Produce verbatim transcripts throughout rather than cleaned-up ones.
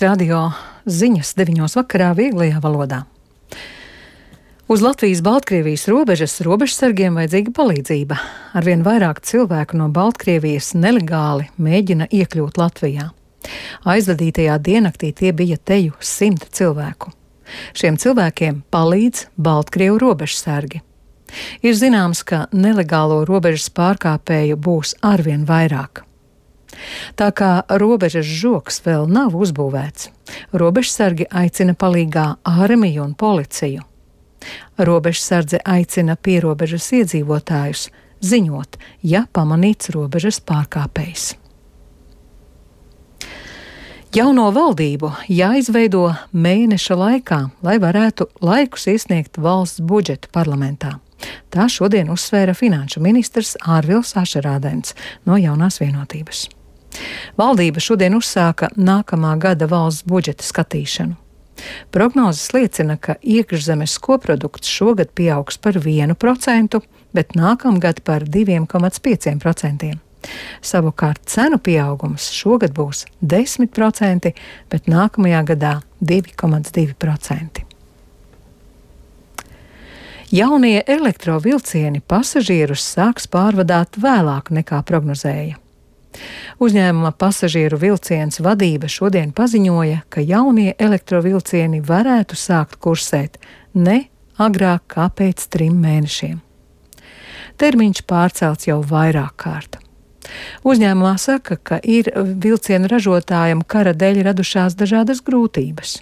Radio ziņas deviņos vakarā vieglajā valodā. Uz Latvijas-Baltkrievijas robežas robežsargiem vajadzīga palīdzība. Arvien vairāk cilvēku no Baltkrievijas nelegāli mēģina iekļūt Latvijā. Aizvadītajā diennaktī tie bija teju simt cilvēku. Šiem cilvēkiem palīdz Baltkrievu robežsargi. Ir zināms, ka nelegālo robežas pārkāpēju būs arvien vairāk. Tā kā robežas žoks vēl nav uzbūvēts, robežsargi aicina palīgā armiju un policiju. Robežsardze aicina pierobežas iedzīvotājus ziņot, ja pamanīts robežas pārkāpējs. Jauno valdību jāizveido mēneša laikā, lai varētu laikus iesniegt valsts budžetu parlamentā. Tā šodien uzsvēra finanšu ministrs Ārvils Ašerādens no Jaunās vienotības. Valdība šodien uzsāka nākamā gada valsts budžeta skatīšanu. Prognozes liecina, ka iekšzemes koprodukts šogad pieaugs par vienu procentu, bet nākamgad par diviem komats pieciem procentiem. Savukārt cenu pieaugums šogad būs desmit procenti, bet nākamajā gadā divi komats divi procenti. Jaunie elektrovilcieni pasažierus sāks pārvadāt vēlāk nekā prognozēja. Uzņēmuma pasažieru vilciens vadība šodien paziņoja, ka jaunie elektrovilcieni varētu sākt kursēt ne agrāk kā pēc trim mēnešiem. Termiņš pārcelts jau vairāk kārt. Uzņēmumā saka, ka ir vilcienu ražotājiem kara dēļ radušās dažādas grūtības.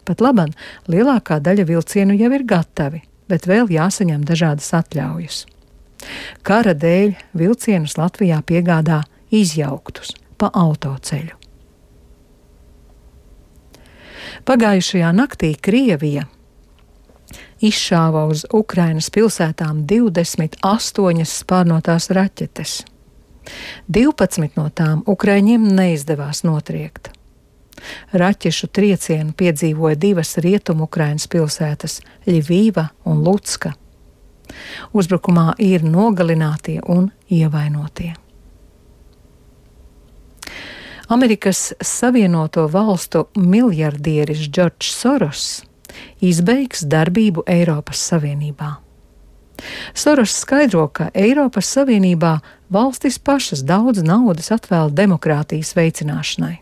Pat laban lielākā daļa vilcienu jau ir gatavi, bet vēl jāsaņem dažādas atļaujas. Kara dēļ vilcienus Latvijā piegādā izjauktus pa autoceļu. Pagājušajā naktī Krievija izšāva uz Ukrainas pilsētām divdesmit astoņas spārnotās raķetes. divpadsmit no tām ukraiņiem neizdevās notriekt. Raķešu triecienu piedzīvoja divas rietumu Ukrainas pilsētas – Ļivīva un Lucka. Uzbrukumā ir nogalinātie un ievainotie. Amerikas Savienoto Valstu miljardieris Džordžs Soros izbeigs darbību Eiropas Savienībā. Soros skaidro, ka Eiropas Savienībā valstis pašas daudz naudas atvēl demokrātijas veicināšanai.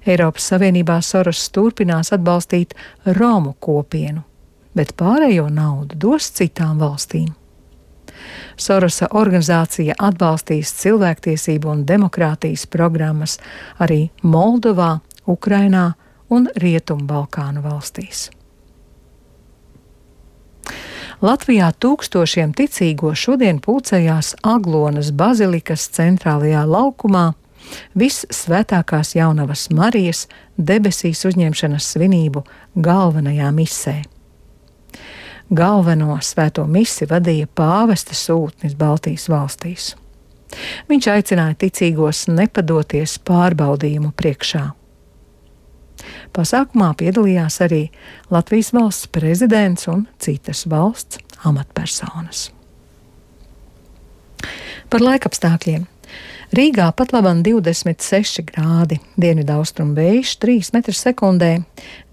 Eiropas Savienībā Soros turpinās atbalstīt Romu kopienu, bet pārējo naudu dos citām valstīm. Sorosa organizācija atbalstīs cilvēktiesību un demokrātijas programmas arī Moldovā, Ukrainā un Rietumbalkānu valstīs. Latvijā tūkstošiem ticīgo šodien pulcējās Aglonas bazilikas centrālajā laukumā Vissvētākās Jaunavas Marijas debesīs uzņemšanas svinību galvenajā misē. Galveno svēto misi vadīja pāvesta sūtnis Baltijas valstīs. Viņš aicināja ticīgos nepadoties pārbaudījumu priekšā. Pasākumā piedalījās arī Latvijas valsts prezidents un citas valsts amatpersonas. Par laikapstākļiem. Rīgā pat labam divdesmit seši grādi, dienvidaustrumu vējš trīs metri sekundē,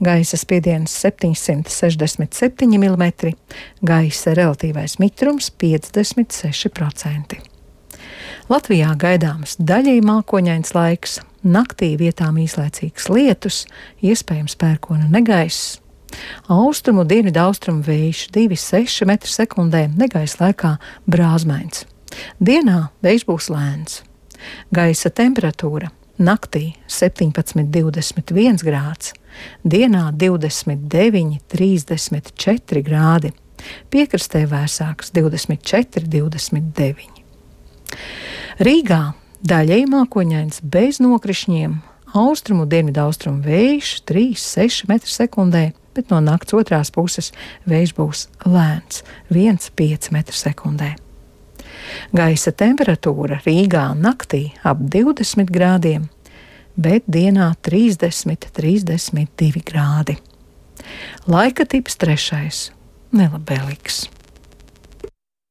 gaisa spiediens septiņsimt sešdesmit septiņi milimetri, gaisa relatīvais mitrums piecdesmit seši procenti. Latvijā gaidāms daļēji mākoņains laiks, naktī vietām īslaicīgs lietus, iespējams pērkona negaiss. Austrumu dienvidaustrumu vējš divi seši metri sekundē, negaisa laikā brāzmains. Dienā vējš būs lēns. Gaisa temperatūra naktī septiņpadsmit divdesmit viens grāds, dienā divdesmit deviņi trīsdesmit četri grādi, piekrastē vēsāks divdesmit četri divdesmit deviņi. Rīgā daļēji mākoņains bez nokrišņiem, austrumu dienvidaustrumu vējš trīs seši metri sekundē, bet no nakts otrās puses vējš būs lēns viens pieci metri sekundē. Gaisa temperatūra Rīgā naktī ap divdesmit grādiem, bet dienā trīsdesmit trīsdesmit divi grādi. Laika tips trešais - nelabvēlīgs.